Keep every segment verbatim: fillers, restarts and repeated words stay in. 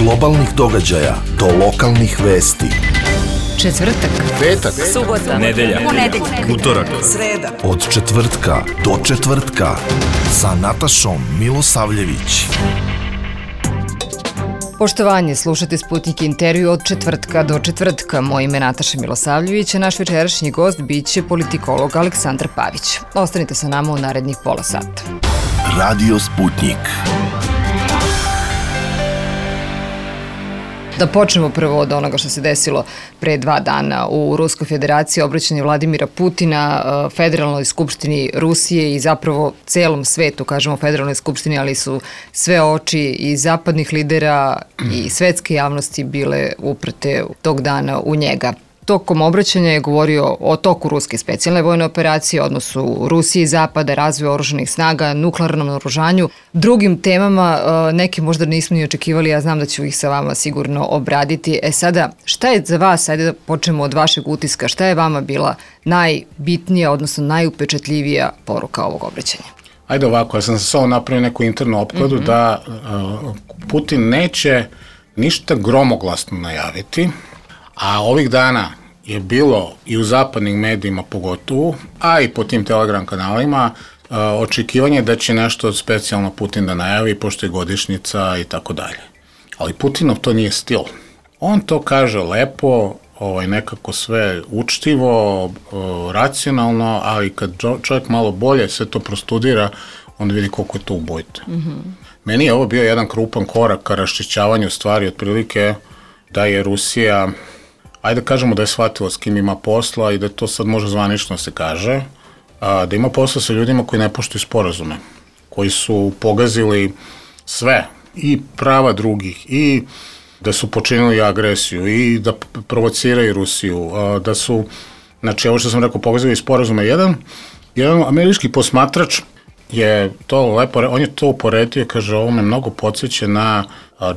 globalnih događaja do lokalnih vesti. Četvrtak, petak, subota, nedelja, ponedeljak, utorak, sreda. Od četvrtka do četvrtka sa Natašom Milosavljević. Poštovanje, slušate Sputnik intervju od četvrtka do četvrtka. Moje ime je Nataša Milosavljević, a naš večerašnji gost biće politikolog Aleksandar Pavić. Ostanite sa nama u narednih pola sata. Radio Sputnik. Da počnemo prvo od onoga što se desilo pre dva dana u Ruskoj federaciji, obraćanje Vladimira Putina Federalnoj skupštini Rusije i zapravo celom svetu, kažemo Federalnoj skupštini, ali su sve oči i zapadnih lidera i svetske javnosti bile uprte tog dana u njega. Tokom obraćanja je govorio o toku ruske specijalne vojne operacije, odnosu Rusije i Zapada, razvoju oružanih snaga, nuklearnom naoružanju, drugim temama, neke možda nismo ni očekivali, ja znam da ću ih sa vama sigurno obraditi. E sada, šta je za vas, ajde da počnemo od vašeg utiska, šta je vama bila najbitnija, odnosno najupečatljivija poruka ovog obraćanja? Ajde ovako, ja sam se samo napravio neku internu opkladu mm-hmm. da uh, Putin neće ništa gromoglasno najaviti, a ovih dana je bilo i u zapadnim medijima pogotovo, a i po tim Telegram kanalima, uh, očekivanje da će nešto specijalno Putin da najavi, pošto je godišnjica i tako dalje. Ali Putinov to nije stil. On to kaže lepo, ovaj, nekako sve učtivo, uh, racionalno, ali kad čovjek malo bolje sve to prostudira, on vidi koliko je to ubojito. Mm-hmm. Meni je ovo bio jedan krupan korak ka raščišćavanju stvari, otprilike da je Rusija, ajde da kažemo da je shvatila s kim ima posla i da to sad može zvanično se kaže, a, da ima posla sa ljudima koji ne poštuju sporazume, koji su pogazili sve, i prava drugih, i da su počinili agresiju, i da provociraju Rusiju, a, da su, znači ovo što sam rekao, pogazili sporazume. Jedan, jedan američki posmatrač je to lepo, on je to uporedio, kaže, ovo me mnogo podsjeća na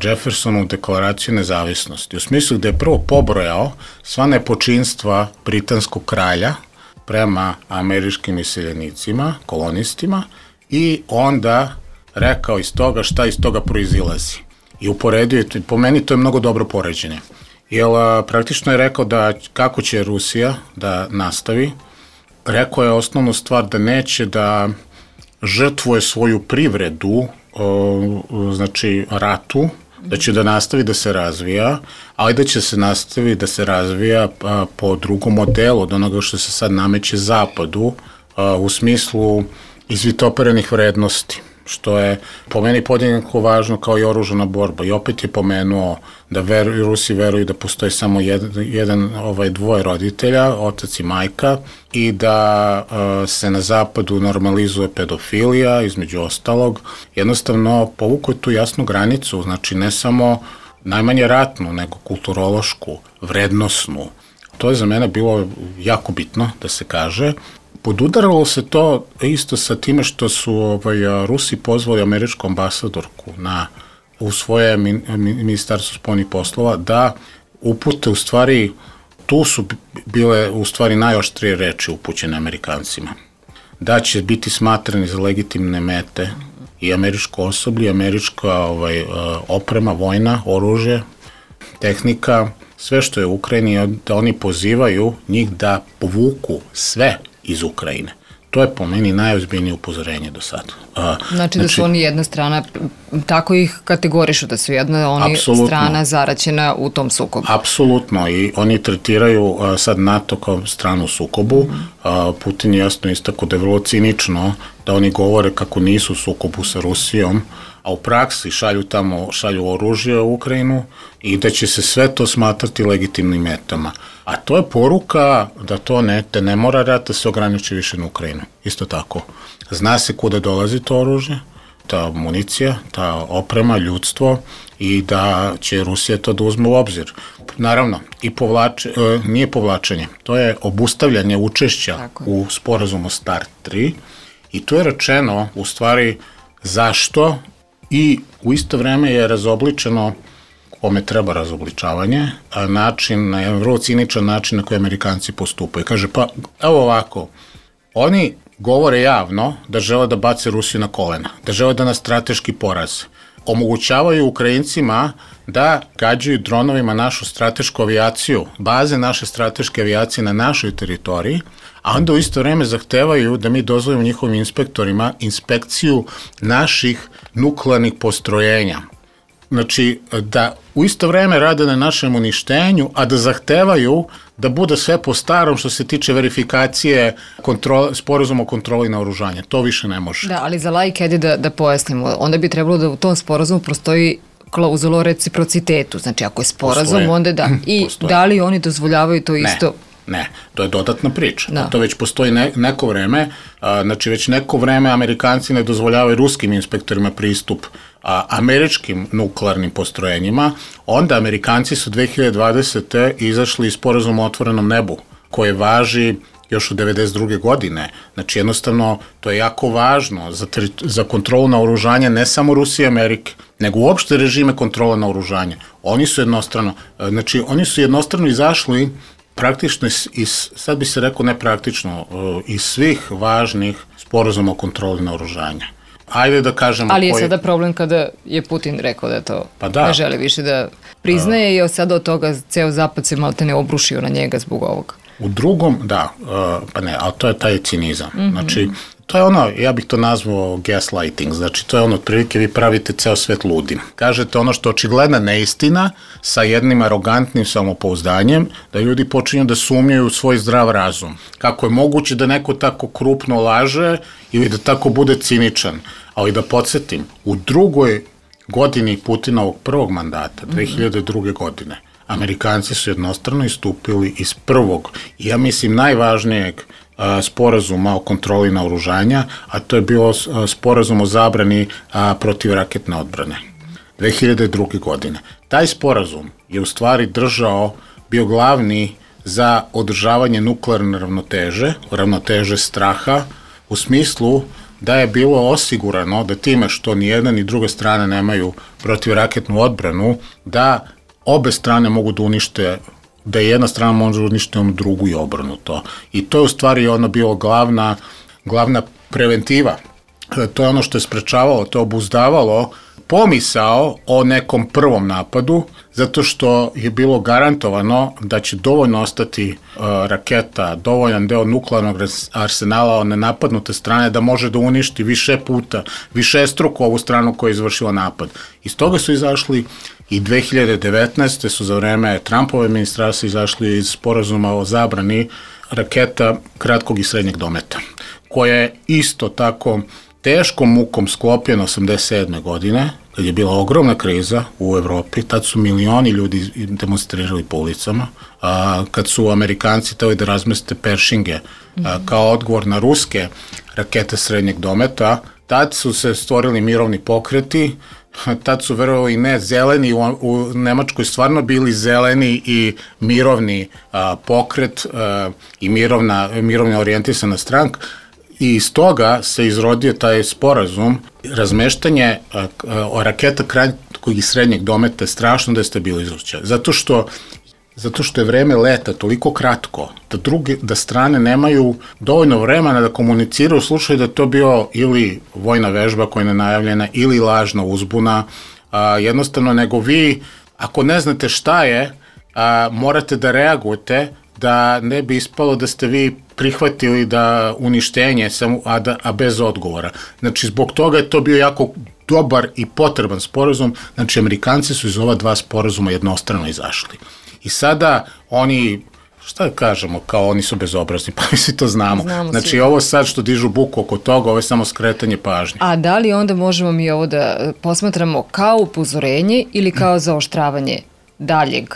Jeffersonovu deklaraciju nezavisnosti. U smislu da je prvo pobrojao sva nepočinstva britanskog kralja prema američkim iseljenicima, kolonistima, i onda rekao iz toga šta iz toga proizilazi. I uporedio je, po meni to je mnogo dobro poređenje. Jer praktično je rekao da kako će Rusija da nastavi, rekao je osnovnu stvar da neće da žrtvuje svoju privredu, o, znači ratu, da će da nastavi da se razvija, ali da će se nastavi da se razvija a, po drugom modelu od onoga što se sad nameće Zapadu, a, u smislu izvitoperenih vrednosti, što je po meni podjednako važno kao i oružana borba. I opet je pomenuo da veru, Rusi veruju da postoji samo jedan, jedan ovaj, dvoje roditelja, otac i majka, i da uh, se na Zapadu normalizuje pedofilija, između ostalog. Jednostavno povukao tu jasnu granicu, znači ne samo najmanje ratnu, nego kulturološku, vrednosnu. To je za mene bilo jako bitno da se kaže. Podudaralo se to isto sa time što su ovaj, Rusi pozvali američku ambasadorku na, u svoje min, ministarstvo spoljnih poslova da upute u stvari, tu su bile u stvari najoštrije reči upućene Amerikancima. Da će biti smatrani za legitimne mete i američko osoblje, američka ovaj, oprema, vojna, oružje, tehnika, sve što je u Ukrajini, da oni pozivaju njih da povuku sve iz Ukrajine. To je po meni najozbiljnije upozorenje do sada. Znači, znači da su oni jedna strana, tako ih kategorišu, da su jedna oni apsolutno, strana zaraćena u tom sukobu. Apsolutno, i oni tretiraju a, sad NATO kao stranu u sukobu. Mm. A, Putin je jasno istako da je vrlo cinično da oni govore kako nisu u sukobu sa Rusijom, a u praksi šalju tamo, šalju oružje u Ukrajinu i da će se sve to smatrati legitimnim metama. A to je poruka da to ne, te ne mora rat da se ograniči više na Ukrajinu. Isto tako. Zna se kuda dolazi to oružje, ta municija, ta oprema, ljudstvo, i da će Rusija to da uzme u obzir. Naravno, i povlače, e, nije povlačenje, to je obustavljanje učešća tako u sporazumu START tri, i to je rečeno u stvari zašto, i u isto vreme je razobličeno kome treba razobličavanje, a način, na jedan vrlo ciničan način na koji Amerikanci postupaju. Kaže, pa evo ovako, oni govore javno da žele da bace Rusiju na kolena, da žele da nas strateški poraze. omogućavaju Ukrajincima da gađaju dronovima našu stratešku avijaciju, baze naše strateške avijacije na našoj teritoriji, a onda u isto vreme zahtevaju da mi dozvolimo njihovim inspektorima inspekciju naših nuklearnih postrojenja. Znači, da u isto vreme rade na našem uništenju, a da zahtevaju da bude sve po starom što se tiče verifikacije kontrole, sporazuma o kontroli naoružanja. To više ne može. Da, ali za laike, ajde da, da pojasnimo, onda bi trebalo da u tom sporazumu postoji klauzula o reciprocitetu. Znači, ako je sporazum, postoje. Onda da. I postoje. Da li oni dozvoljavaju to isto? Ne. Ne, to je dodatna priča. Da. To već postoji ne, neko vreme, a, znači već neko vreme Amerikanci ne dozvoljavaju ruskim inspektorima pristup a, američkim nuklearnim postrojenjima, onda Amerikanci su dve hiljade dvadesete izašli iz sporazuma o otvorenom nebu, koje važi još od devedeset druge godine. Znači jednostavno to je jako važno za, za kontrolu naoružanja ne samo Rusije i Amerike, nego uopšte režime kontrole naoružanja. Oni su jednostrano, znači oni su jednostrano izašli praktično iz, sad bi se rekao nepraktično, iz svih važnih sporazuma o kontroli naoružanja. Ajde da kažemo... Ali je koji... sada problem kada je Putin rekao da to pa da. ne želi više da priznaje uh, i sada od toga ceo zapad se malte ne obrušio na njega zbog ovoga. U drugom, da, uh, pa ne, ali to je taj cinizam. Mm-hmm. Znači, to je ono, ja bih to nazvao gaslighting, znači to je ono, otprilike vi pravite ceo svet ludim. Kažete ono što je očigledna neistina sa jednim arogantnim samopouzdanjem, da ljudi počinju da sumnjaju u svoj zdrav razum. Kako je moguće da neko tako krupno laže ili da tako bude ciničan. Ali da podsjetim, u drugoj godini Putinovog prvog mandata, dve hiljade druge. godine, Amerikanci su jednostrano istupili iz prvog, i ja mislim najvažnijeg a, sporazuma o kontroli naoružanja, a to je bio a, sporazum o zabrani a, protivraketne odbrane. dve hiljade druge. godine. Taj sporazum je u stvari držao, bio glavni za održavanje nuklearne ravnoteže, ravnoteže straha, u smislu da je bilo osigurano da time što ni jedna ni druga strana nemaju protivraketnu odbranu, da obe strane mogu da unište, da jedna strana može da unište onu drugu i obrnuto. I to je u stvari ono bilo glavna, glavna preventiva. To je ono što je sprečavalo, to je obuzdavalo pomisao o nekom prvom napadu, zato što je bilo garantovano da će dovoljno ostati uh, raketa, dovoljan deo nuklearnog arsenala one napadnute strane da može da uništi više puta, više struku ovu stranu koja je izvršila napad. Iz toga su izašli i dve hiljade devetnaeste. su za vreme Trumpove administracije izašli iz sporazuma o zabrani raketa kratkog i srednjeg dometa, koja je isto tako teškom mukom sklopljena osamdeset sedme. godine, kad je bila ogromna kriza u Evropi, tad su milioni ljudi demonstrirali po ulicama, a, kad su Amerikanci teli da razmeste Peršinge a, kao odgovor na ruske rakete srednjeg dometa, tad su se stvorili mirovni pokreti, tad su verovali ne zeleni, u, u Nemačkoj stvarno bili zeleni i mirovni a, pokret a, i mirovna, mirovna orijentisana stranka. I iz toga se izrodio taj sporazum, razmeštanje a, a, raketa kratkog i srednjeg dometa je strašno destabilizujuće. Zato što, zato što je vreme leta toliko kratko da, druge, da strane nemaju dovoljno vremena da komuniciraju u slučaju da je to bio ili vojna vežba koja je nenajavljena ili lažna uzbuna. A, jednostavno, nego vi, ako ne znate šta je, a, morate da reagujete da ne bi ispalo da ste vi prihvatili da uništenje, a, da, a bez odgovora. Znači, zbog toga je to bio jako dobar i potreban sporazum. Znači, Amerikanci su iz ova dva sporazuma jednostrano izašli. I sada oni, šta da kažemo, kao oni su bezobrazni, pa mi svi to znamo. znamo znači, svi. Ovo sad što dižu buku oko toga, ovo je samo skretanje pažnje. A da li onda možemo mi ovo da posmatramo kao upozorenje ili kao zaoštravanje daljeg,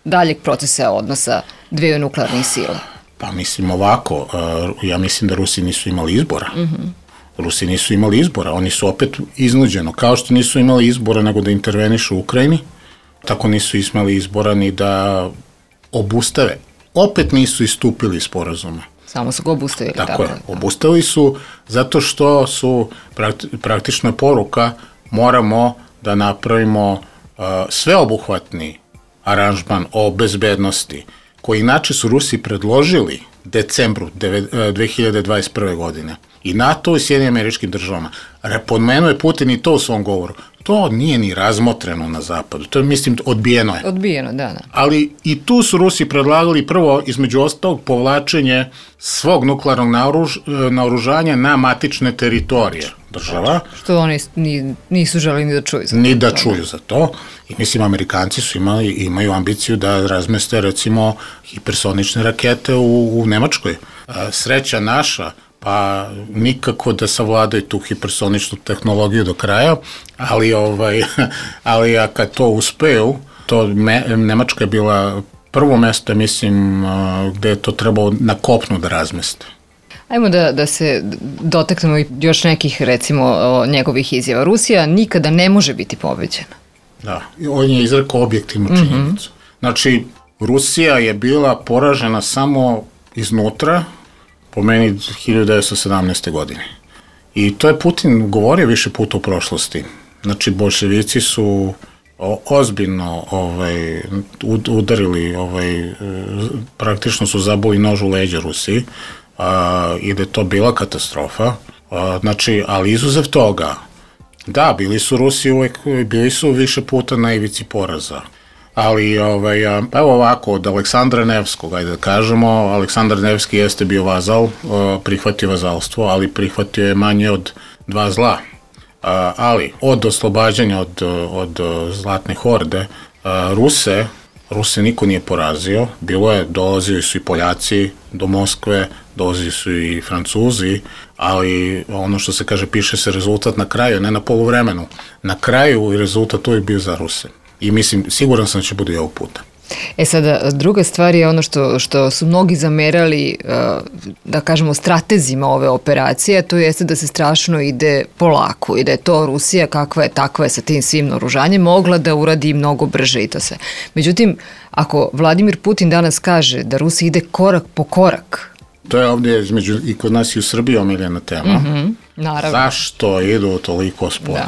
daljeg procesa odnosa dveju nuklearnih sila? Pa mislim ovako, ja mislim da Rusi nisu imali izbora. Mm-hmm. Rusi nisu imali izbora, oni su opet iznuđeno, kao što nisu imali izbora nego da intervenišu u Ukrajini, tako nisu imali izbora ni da obustave. Opet nisu istupili iz sporazuma. Samo su ga obustavili. Tako, tako je, obustavili su zato što su prakti, praktično poruka moramo da napravimo uh, sveobuhvatni aranžman o bezbednosti, koji inače su Rusi predložili decembru dve hiljade dvadeset prve. godine. I NATO i Sjedinjenim Američkim Državama. Pomenuo je Putin i to u svom govoru. To nije ni razmotreno na zapadu. To je, mislim, odbijeno je. Odbijeno, da, da. Ali i tu su Rusi predlagali prvo, između ostalog, povlačenje svog nuklearnog naoruž, naoružanja na matične teritorije država. Što oni nisu želeli ni da čuju za to. Ni da čuju za to. I mislim, Amerikanci su imali, imaju ambiciju da razmeste, recimo, hipersonične rakete u, u Nemačkoj. Sreća naša, pa nikako da savladaju tu hipersoničnu tehnologiju do kraja, ali, ovaj, ali a kad to uspeju, to me, Nemačka je bila prvo mesto, mislim, gde je to trebalo na kopnu da razmeste. Ajmo da, da se dotaknemo još nekih, recimo, njegovih izjava. Rusija nikada ne može biti pobeđena. Da, on je izrekao objektivnu činjenicu. Mm-hmm. Znači, Rusija je bila poražena samo iznutra, po meni hiljadu devetsto sedamnaeste. godine. I to je Putin govorio više puta u prošlosti. Znači, bolševici su o, ozbiljno ovaj, udarili, ovaj, praktično su zaboli nož u leđa Rusiji a, i da je to bila katastrofa. A, znači, ali izuzev toga, da, bili su Rusi uvek, bili su više puta na ivici poraza. Ali, ovaj, evo ovako, od Aleksandra Nevskog, ajde da kažemo, Aleksandar Nevski jeste bio vazal, prihvatio vazalstvo, ali prihvatio je manje od dva zla. Ali, od oslobađanja od, od Zlatne horde, Ruse, Ruse niko nije porazio, bilo je, dolazili su i Poljaci do Moskve, dolazili su i Francuzi, ali ono što se kaže, piše se rezultat na kraju, ne na poluvremenu. Na kraju rezultat uvijek bio za Ruse. I mislim, siguran sam da će bude i ovog puta. E sada, druga stvar je ono što, što su mnogi zamerali, da kažemo, stratezima ove operacije, to jeste da se strašno ide polako i da je to Rusija, kakva je, takva je sa tim svim naoružanjem, mogla da uradi mnogo brže i to sve. Međutim, ako Vladimir Putin danas kaže da Rusija ide korak po korak... To je ovdje između, i kod nas i u Srbiji omiljena tema. Mm-hmm, naravno. Zašto idu toliko sporo?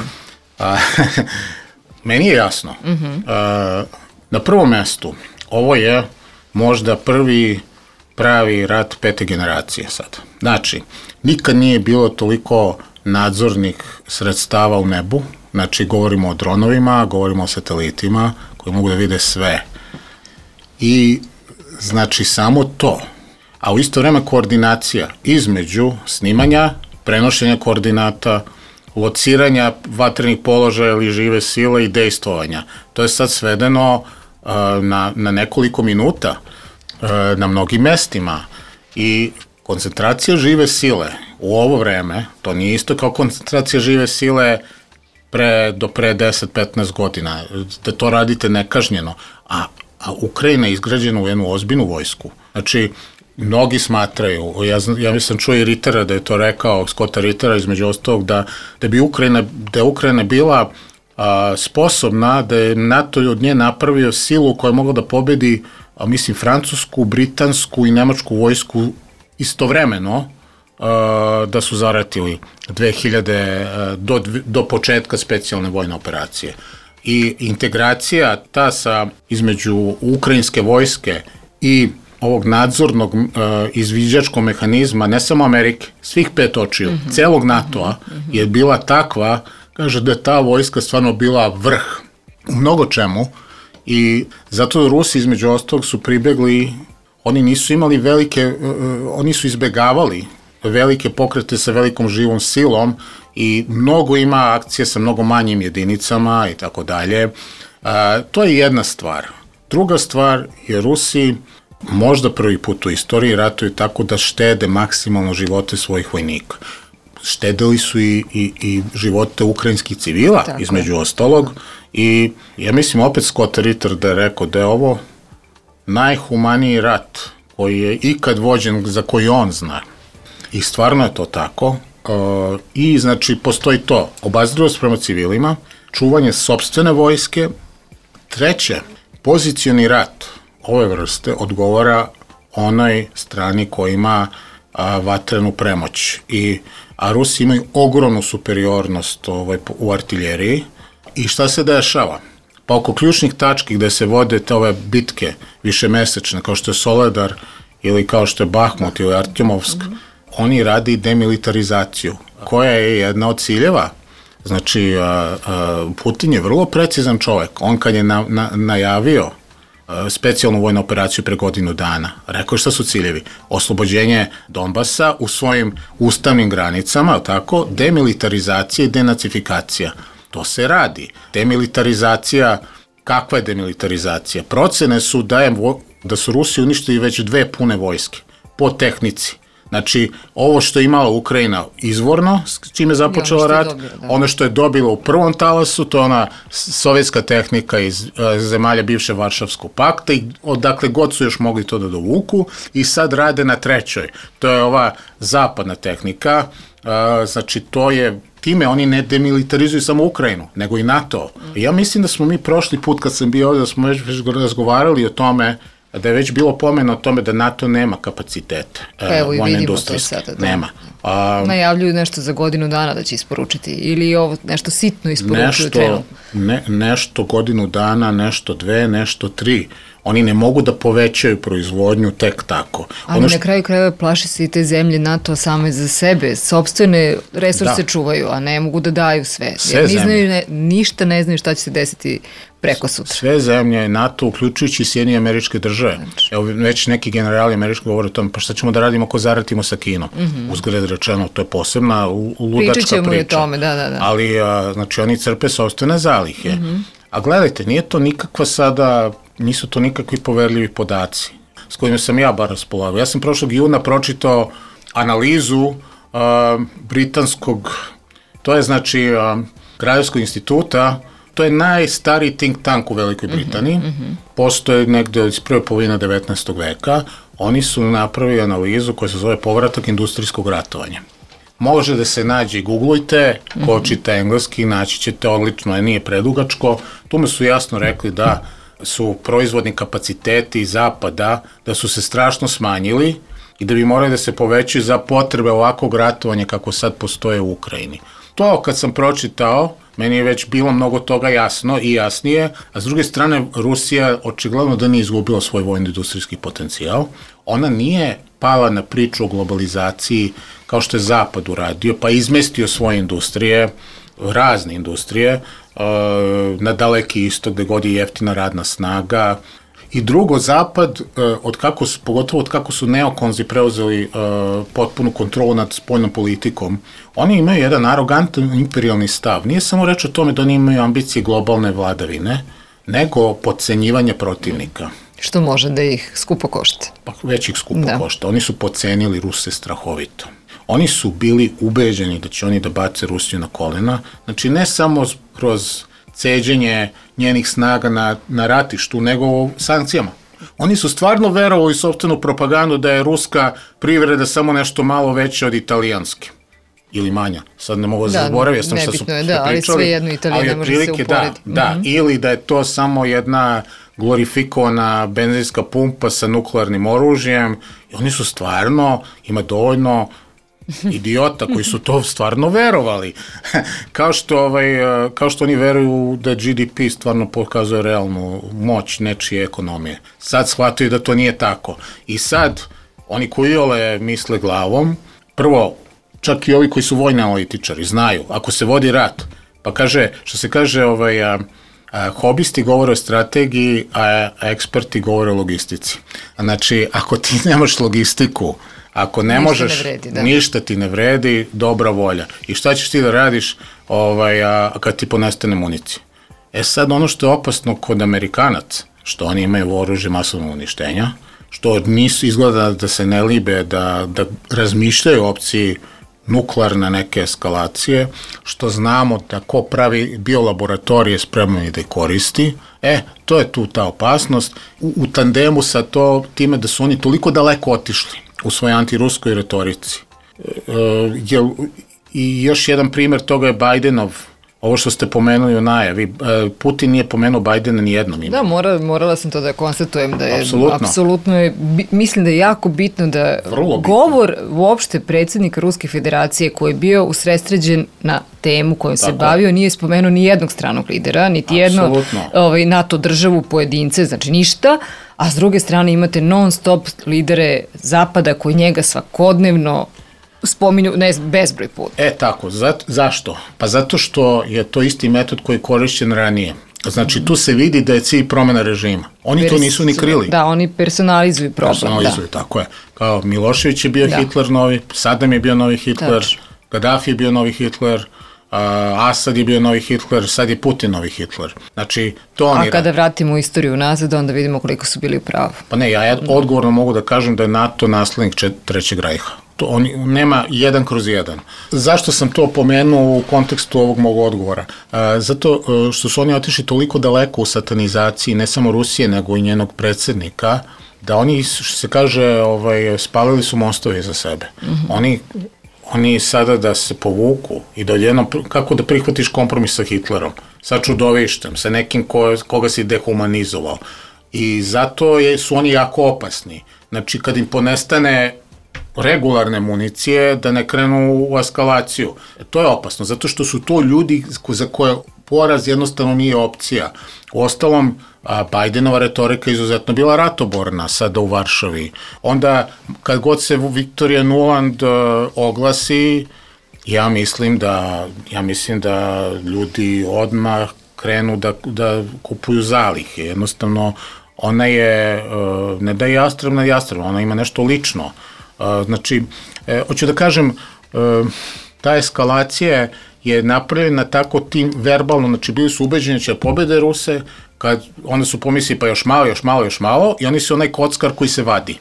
Da. Meni je jasno. Mm-hmm. Uh, na prvom mestu, ovo je možda prvi pravi rat pete generacije sad. Znači, nikad nije bilo toliko nadzornih sredstava u nebu, znači govorimo o dronovima, govorimo o satelitima koji mogu da vide sve. I znači samo to. A u isto vreme koordinacija između snimanja, prenošenja koordinata, lociranja vatrenih položaja ili žive sile i dejstvovanja. To je sad svedeno uh, na, na nekoliko minuta uh, na mnogim mestima i koncentracija žive sile u ovo vreme, to nije isto kao koncentracija žive sile pre, do pre deset do petnaest godina, da to radite nekažnjeno, a, a Ukrajina je izgrađena u jednu ozbiljnu vojsku. Znači, mnogi smatraju, ja, ja sam čuo i Rittera da je to rekao, Scotta Rittera između ostalog, da, da bi Ukrajina, da je Ukrajina bila a, sposobna, da je NATO od nje napravio silu koja je mogla da pobedi, a, mislim, francusku, britansku i nemačku vojsku istovremeno, a, da su zaratili dve hiljade do, do početka specijalne vojne operacije. I integracija ta sa između ukrajinske vojske i ovog nadzornog uh, izviđačkog mehanizma, ne samo Amerike, svih pet očiju, mm-hmm. celog NATO-a mm-hmm. je bila takva, kaže da je ta vojska stvarno bila vrh u mnogo čemu i zato Rusi između ostalog su pribegli, oni nisu imali velike, uh, oni su izbegavali velike pokrete sa velikom živom silom i mnogo ima akcije sa mnogo manjim jedinicama i tako dalje. To je jedna stvar. Druga stvar je Rusi možda prvi put u istoriji ratuju tako da štede maksimalno živote svojih vojnika. Štedili su i, i, i živote ukrajinskih civila, tako između ostalog, i ja mislim opet Scott Ritter da je rekao da je ovo najhumaniji rat koji je ikad vođen, za koji on zna. I stvarno je to tako. Uh, I znači postoji to, obazrivost prema civilima, čuvanje sopstvene vojske. Treće, pozicioni rat ove vrste odgovara onoj strani koja ima a, vatrenu premoć. I, a Rusi imaju ogromnu superiornost ovaj, u artiljeriji. I šta se dešava? Pa oko ključnih tački gde se vode te ove bitke višemesečne, kao što je Soledar ili kao što je Bahmut ili Artjomovsk, mm-hmm. oni radi demilitarizaciju, koja je jedna od ciljeva Znači, a, a, Putin je vrlo precizan čovek. On kad je na, na, najavio a, specijalnu vojnu operaciju pre godinu dana, rekao je šta su ciljevi. Oslobođenje Donbasa u svojim ustavnim granicama, tako, demilitarizacija i denacifikacija. To se radi. Demilitarizacija, kakva je demilitarizacija? Procene su da, je, da su Rusi uništili već dve pune vojske po tehnici. Znači, ovo što je imala Ukrajina izvorno, s čime je započela rat, dobilo, da. Ono što je dobilo u prvom talasu, to je ona sovjetska tehnika iz uh, zemalja bivše Varšavskog pakta i odakle god su još mogli to da dovuku i sad rade na trećoj. To je ova zapadna tehnika, uh, znači to je, time oni ne demilitarizuju samo Ukrajinu, nego i NATO. Ja mislim da smo mi prošli put kad sam bio ovdje, da smo već, već razgovarali o tome, da je već bilo pomeno o tome da NATO nema kapacitete e, vojne industrijske. Sada, da. Nema. A, Najavljuju nešto za godinu dana da će isporučiti ili ovo nešto sitno isporučuju nešto, trenutno? Ne, nešto godinu dana, nešto dve, nešto tri. Oni ne mogu da povećaju proizvodnju tek tako. Ali ono što... na kraju krajeva plaši se i te zemlje NATO same za sebe. Sopstvene resurse da. čuvaju, a ne mogu da daju sve. sve Jer znaju, ne, ništa ne znaju šta će se desiti preko sutra. Sve zemlje NATO, uključujući Sjedinjene Američke Države. Znači. Evo, već neki generali američki govore o tome, pa šta ćemo da radimo ako zaratimo sa Kinom? Mm-hmm. Uzgled rečeno, to je posebna ludačka priča. Pričat ćemo i o tome, da, da, da. Ali, a, znači, oni crpe sopstvene zalihe. Mm-hmm. A gledajte, nije to nikakva sada, nisu to nikakvi poverljivi podaci s kojima sam ja bar raspolagao. Ja sam prošlog juna pročitao analizu uh, britanskog, to je znači uh, Kraljevskog instituta, to je najstariji think tank u Velikoj Britaniji, mm-hmm. postoje negde iz prve polovine devetnaestog veka, oni su napravili analizu koja se zove povratak industrijskog ratovanja. Može da se nađe i googlujte, ko mm-hmm. čita engleski, naći ćete odlično, nije predugačko. Tu me su jasno rekli da su proizvodni kapaciteti zapada, da su se strašno smanjili i da bi morali da se povećaju za potrebe ovakvog ratovanja kako sad postoje u Ukrajini. To kad sam pročitao, meni je već bilo mnogo toga jasno i jasnije, a s druge strane Rusija očigledno da nije izgubila svoj vojno-industrijski potencijal. Ona nije pala na priču o globalizaciji kao što je Zapad uradio, pa izmestio svoje industrije, razne industrije, na Daleki istok gde god je jeftina radna snaga. I drugo, Zapad, od kako su, pogotovo od kako su neokonzi preuzeli uh, potpunu kontrolu nad spoljnom politikom, oni imaju jedan arogantan imperialni stav. Nije samo reč o tome da oni imaju ambicije globalne vladavine, nego podcenjivanje protivnika. Što može da ih skupo košta. Pa već ih skupo da. košta. Oni su podcenili Ruse strahovito. Oni su bili ubeđeni da će oni da bace Rusiju na kolena. Znači, ne samo kroz ceđenje njenih snaga na, na ratištu, nego u sankcijama. Oni su stvarno verovali u sopstvenu propagandu da je ruska privreda samo nešto malo veća od italijanske. Ili manja. Sad ne mogu da, da zaboraviti, ja sam što su je, da, ali sve jedno Italija ne može se uporediti. Da, da, mm-hmm. Ili da je to samo jedna glorifikovana benzinska pumpa sa nuklearnim oružjem. I oni su stvarno, ima dovoljno idiota koji su to stvarno verovali. kao, što, ovaj, kao što oni veruju da G D P stvarno pokazuje realnu moć nečije ekonomije. Sad shvataju da to nije tako. I sad, oni koji ole misle glavom, prvo, čak i ovi koji su vojni analitičari, znaju, ako se vodi rat, pa kaže, što se kaže, ovaj, a, a, hobisti govore o strategiji, a, a eksperti govore o logistici. Znači, ako ti nemaš logistiku, ako ne ništa možeš, ne vredi, da. ništa ti ne vredi, dobra volja. I šta ćeš ti da radiš ovaj, a, kad ti ponestane municija? E sad, ono što je opasno kod Amerikanaca, što oni imaju oružje masovnog uništenja, što nisu izgleda da se ne libe, da, da razmišljaju o opciji nuklearne neke eskalacije, što znamo da ko pravi biolaboratorije spremno i da ih koristi, e, to je tu ta opasnost. U, u tandemu sa to, time da su oni toliko daleko otišli u svojoj antiruskoj retorici. E, je, I još jedan primjer toga je Bajdenov, ovo što ste pomenuli u najavi, Putin nije pomenuo Bajdena ni jednom imenu. Da, mora, morala sam to da konstatujem, da je apsolutno, apsolutno je, mislim da je jako bitno da Vrlo govor bitno. uopšte predsjednika Ruske federacije koji je bio usredsređen na temu kojom se Tako. bavio, nije spomenuo ni jednog stranog lidera, niti jedno ovaj, NATO državu pojedince, znači ništa, a s druge strane imate non stop lidere Zapada koji njega svakodnevno spominju ne, bezbroj puta. E tako, za, zašto? Pa zato što je to isti metod koji je korišćen ranije. Znači, tu se vidi da je cilj promena režima. Oni Pers- to nisu ni krili. Da, oni personalizuju problem. Personalizuju, da. tako je. Kao Milošević je bio da. Hitler novi, Saddam je bio novi Hitler, Tač. Gaddafi je bio novi Hitler, uh, Asad je bio novi Hitler, sad je Putin novi Hitler. Znači, to oni... A kada vratimo istoriju nazad, onda vidimo koliko su bili u pravu. Pa ne, ja odgovorno mogu da kažem da je NATO naslednik Trećeg rajha. To on, nema jedan kroz jedan. Zašto sam to pomenuo u kontekstu ovog mog odgovora? E, zato što su oni otišli toliko daleko u satanizaciji ne samo Rusije, nego i njenog predsjednika, da oni, što se kaže, ovaj, spalili su mostove za sebe. Mm-hmm. Oni, oni sada da se povuku i da odjednom, kako da prihvatiš kompromis sa Hitlerom, sa čudovištem, sa nekim ko, koga si dehumanizovao. I zato je, su oni jako opasni. Znači, kad im ponestane regularne municije, da ne krenu u eskalaciju. To je opasno, zato što su to ljudi za koje poraz jednostavno nije opcija. U ostalom, Bajdenova retorika je izuzetno bila ratoborna sada u Varšavi. Onda, kad god se Victoria Nuland oglasi, ja mislim da, ja mislim da ljudi odmah krenu da, da kupuju zalihe. Jednostavno, ona je, ne da je jastrebna, jastrebna, ona ima nešto lično. Znači, e, hoću da kažem, e, ta eskalacija je napravljena tako tim verbalno, znači bili su ubeđeni da će pobede Ruse, kad onda su pomislili pa još malo, još malo, još malo i oni su onaj kockar koji se vadi.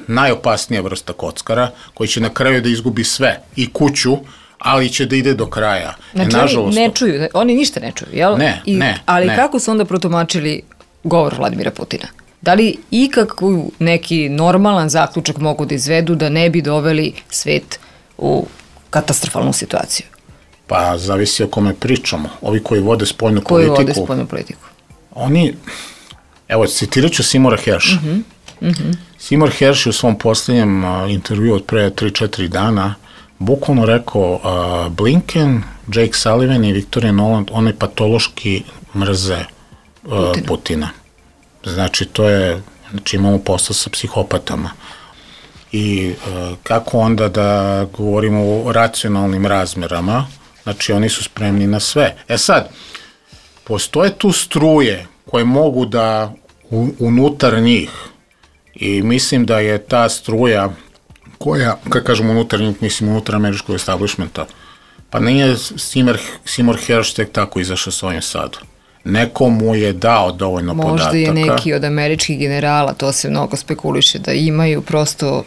Najopasnija vrsta kockara, koji će na kraju da izgubi sve i kuću, ali će da ide do kraja. Znači, e, nažalost, oni ne čuju, oni ništa ne čuju, jel? Ne, I, ne. Ali ne. kako su onda protumačili govor Vladimira Putina? Da li ikakvu neki normalan zaključak mogu da izvedu da ne bi doveli svet u katastrofalnu situaciju? Pa, zavisi o kome pričamo. Ovi koji vode spoljnu koji politiku. Koji vode spoljnu politiku? Oni, evo, citirat ću Seymoura Hersha. Mm-hmm. Mm-hmm. Seymour Hersh je u svom posljednjem uh, intervju od pre tri četiri dana bukvalno rekao uh, Blinken, Jake Sullivan i Victoria Nuland, oni patološki mrze uh, Putina. Putina. Znači, to je, znači imamo posla sa psihopatama. I e, kako onda da govorimo o racionalnim razmerama, znači oni su spremni na sve. E sad, postoje tu struje koje mogu da u, unutar njih, i mislim da je ta struja koja, kad kažemo unutar njih, mislim unutar američkog establishmenta, pa nije Seymour, Seymour Hersh tek tako izašao s ovim sad. Neko mu je dao dovoljno Možda podataka. Možda je neki od američkih generala, to se mnogo spekuliše, da imaju prosto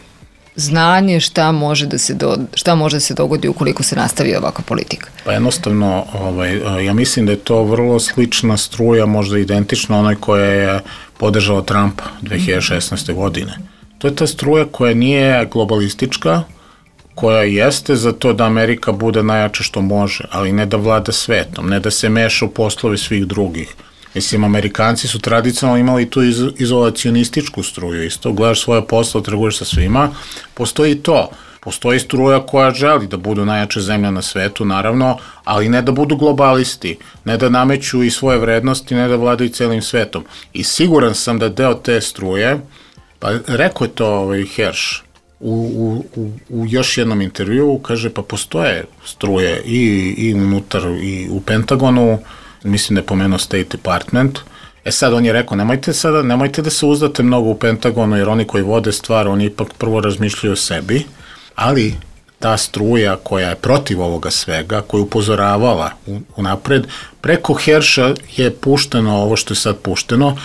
znanje šta može da se, do, šta može da se dogodi ukoliko se nastavi ovakva politika. Pa jednostavno, ovaj, ja mislim da je to vrlo slična struja, možda identična onoj koja je podržala Trumpa dve hiljade šesnaeste. godine. To je ta struja koja nije globalistička, koja jeste za to da Amerika bude najjače što može, ali ne da vlada svetom, ne da se meša u poslove svih drugih. Mislim, Amerikanci su tradicionalno imali tu iz, izolacionističku struju, isto, gledaš svoje posle, trguješ sa svima, postoji to. Postoji struja koja želi da budu najjače zemlja na svetu, naravno, ali ne da budu globalisti, ne da nameću i svoje vrednosti, ne da vladaju celim svetom. I siguran sam da deo te struje, pa rekao je to ovaj Hersh, U, u, u, u još jednom intervju, kaže, pa postoje struje i, i unutar i u Pentagonu, mislim da je pomenuo State Department. E sad on je rekao, nemojte sada, nemojte da se uzdate mnogo u Pentagonu, jer oni koji vode stvar, oni ipak prvo razmišljaju o sebi, ali ta struja koja je protiv ovoga svega, koja je upozoravala unapred, preko Hersha je pušteno ovo što je sad pušteno.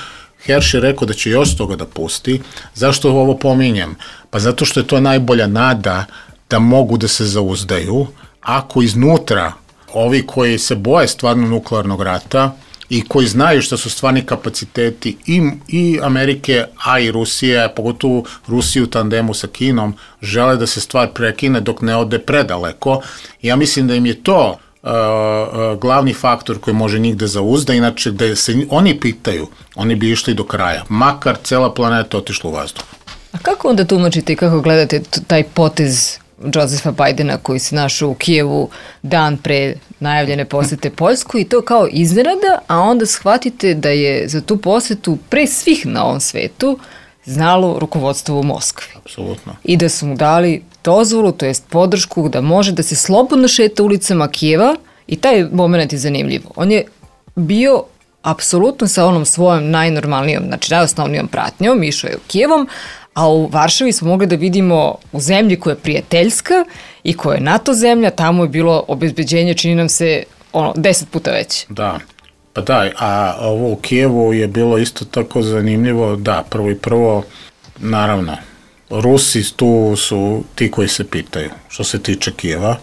Hersh je rekao da će još toga da pusti. Zašto ovo pominjem? Pa zato što je to najbolja nada da mogu da se zauzdaju, ako iznutra ovi koji se boje stvarno nuklearnog rata i koji znaju šta su stvarni kapaciteti i, i Amerike, a i Rusije, pogotovo Rusiju u tandemu sa Kinom, žele da se stvar prekine dok ne ode predaleko. Ja mislim da im je to Uh, uh, glavni faktor koji može njih da zauzda, inače da se oni pitaju, oni bi išli do kraja, makar cela planeta otišla u vazduh. A kako onda tumačite i kako gledate taj potez Josefa Bajdena koji se našao u Kijevu dan pre najavljene posete Poljskoj i to kao iznenada, a onda shvatite da je za tu posetu pre svih na ovom svetu znalo rukovodstvo u Moskvi. Apsolutno. I da su mu dali dozvolu, to jest podršku da može da se slobodno šeta ulicama Kijeva i taj moment je zanimljiv. On je bio apsolutno sa onom svojom najnormalnijom, znači najosnovnijom pratnjom, išao je u Kijevom, a u Varšavi smo mogli da vidimo u zemlji koja je prijateljska i koja je NATO zemlja, tamo je bilo obezbeđenje, čini nam se, ono, deset puta veće. Da, pa da, a ovo u Kijevu je bilo isto tako zanimljivo, da, prvo i prvo, naravno, Rusi tu su ti koji se pitaju, što se tiče Kijeva,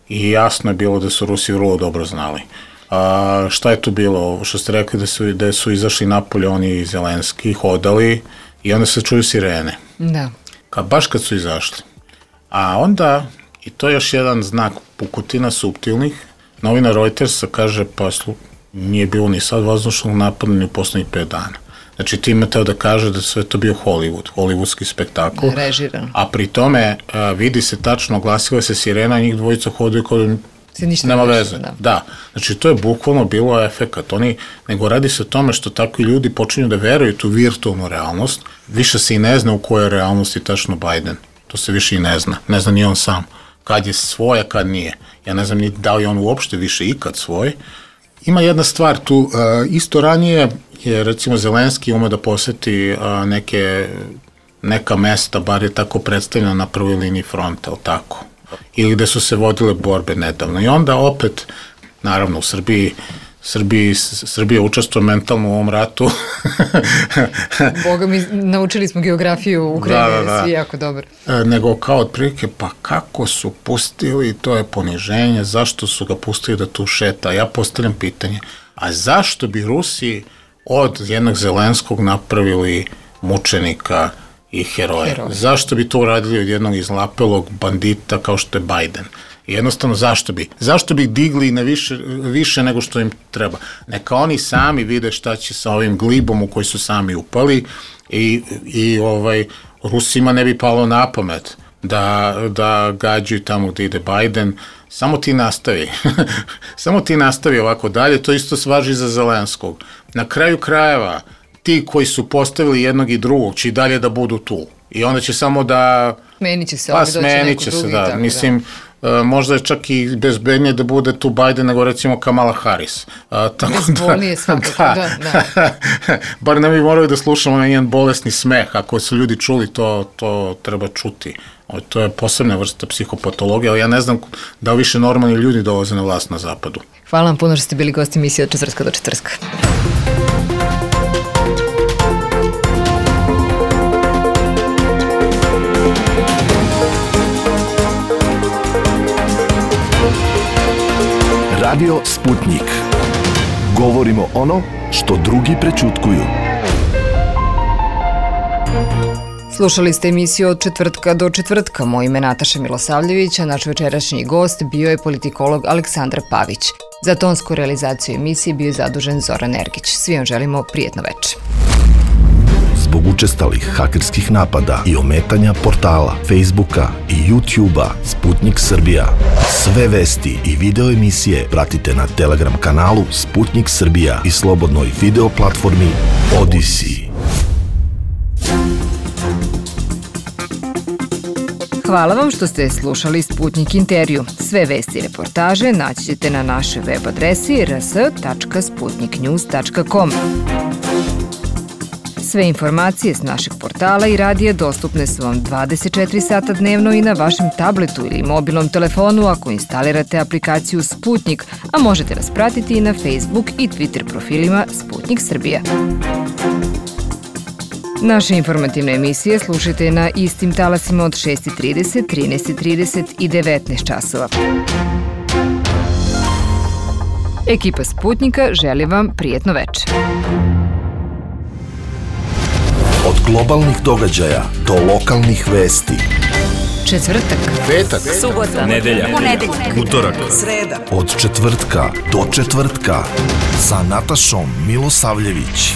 i jasno je bilo da su Rusi vrlo dobro znali. A, šta je tu bilo? Što ste rekli da su, da su izašli napolje oni i Zelenski, hodali i onda se čuju sirene. Da. Ka, baš kad su izašli. A onda, i to je još jedan znak pukotina suptilnih, novinar Reutersa kaže, pa slu, nije bilo ni sad vazdušnog napada ni u poslednjih pet dana. Znači, time teo da kaže da sve to bio Hollywood, hollywoodski spektakl. Režiran. A pri tome a, vidi se tačno, glasila se sirena, njih dvojica hodaju kod se ništa nema ne veze. Da. da. Znači, to je bukvalno bilo efekat. Oni, nego radi se o tome što takvi ljudi počinju da veruju tu virtualnu realnost. Više se i ne zna u kojoj realnosti tačno Biden. To se više i ne zna. Ne zna ni on sam. Kad je svoj, a kad nije. Ja ne znam ni da li on uopšte više ikad svoj. Ima jedna stvar tu. Uh, isto ranije je, recimo, Zelenski ume da poseti uh, neke, neka mesta, bar je tako predstavljeno na prvoj liniji fronta, ali tako. Ili gde su se vodile borbe nedavno. I onda opet, naravno, u Srbiji, Srbiji, Srbija učestvuje mentalno u ovom ratu. Boga mi, naučili smo geografiju u Ukrajine, da, da, da. Svi jako dobro. E, nego kao otprilike, pa kako su pustili, to je poniženje, zašto su ga pustili da tu šeta? Ja postavljam pitanje, a zašto bi Rusi od jednog Zelenskog napravili mučenika i heroje? Heroj. Zašto bi to uradili od jednog izlapelog bandita kao što je Biden? Jednostavno, zašto bi? Zašto bi digli na više, više nego što im treba? Neka oni sami vide šta će sa ovim glibom u koji su sami upali i, i ovaj, Rusima ne bi palo na pamet da, da gađaju tamo gde ide Biden. Samo ti nastavi. Samo ti nastavi ovako dalje. To isto važi za Zelenskog. Na kraju krajeva, ti koji su postavili jednog i drugog će i dalje da budu tu. I onda će samo da... Smenit će se, pa, smenit će se, da. Mislim, da. Možda je čak i bezbednije da bude tu Biden nego recimo Kamala Harris. A, tako Bezbolnije svakako, da. da, da. Bar ne bi morali da slušamo na jedan bolesni smeh. Ako su ljudi čuli, to, to treba čuti. O, to je posebna vrsta psihopatologije, ali ja ne znam da li više normalni ljudi dolaze na vlast na zapadu. Hvala vam puno što ste bili gosti emisije od četvrtka do četvrtka. Radio Sputnik. Govorimo ono što drugi prećutkuju. Slušali ste emisiju od četvrtka do četvrtka. Moje ime je Nataša Milosavljević, a naš večerašnji gost bio je politikolog Aleksandar Pavić. Za tonsku realizaciju emisije bio je zadužen Zoran Ergić. Svi vam želimo prijetno večer. Zbog učestalih hakerskih napada i ometanja portala, Facebooka i YouTubea Sputnik Srbija. Sve vesti i video emisije pratite na Telegram kanalu Sputnik Srbija i slobodnoj video platformi Odyssey. Hvala vam što ste slušali Sputnik intervju. Sve vesti i reportaže naći ćete na našoj web adresi r s tačka sputnik news tačka com. Sve informacije s našeg portala i radija dostupne su vam dvadeset četiri sata dnevno i na vašem tabletu ili mobilnom telefonu ako instalirate aplikaciju Sputnik, a možete nas pratiti i na Facebook i Twitter profilima Sputnik Srbija. Naše informativne emisije slušajte na istim talasima od šest i trideset, trinaest i trideset i devetnaest časova. Ekipa Sputnika želi vam prijetno večer. Od globalnih događaja do lokalnih vesti. Četvrtak, petak, subota, nedelja, ponedeljak, utorak, sreda. Od četvrtka do četvrtka sa Natašom Milosavljević.